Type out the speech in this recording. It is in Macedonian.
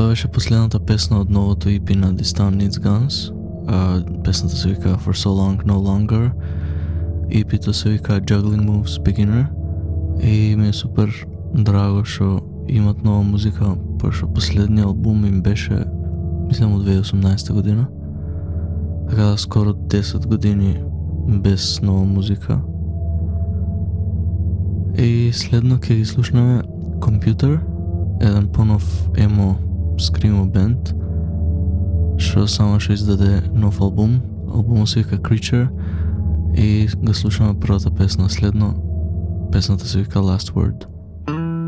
Тоа беше последната песна од новото EP на This Town Needs Guns. Песната се вика For So Long No Longer. EP-то се вика Juggling Moves Beginner. И ми е супер драго што имат нова музика, пошто последниот албум им беше, мислам, од 2018 година. Така да скоро 10 години без нова музика. И следно ќе ги слушнеме Computer, еден понов емо скримо бенд, што само што издаде нов албум. Албумот се вика Creature и го слушаме првата песна следно. Песната се вика Last Word.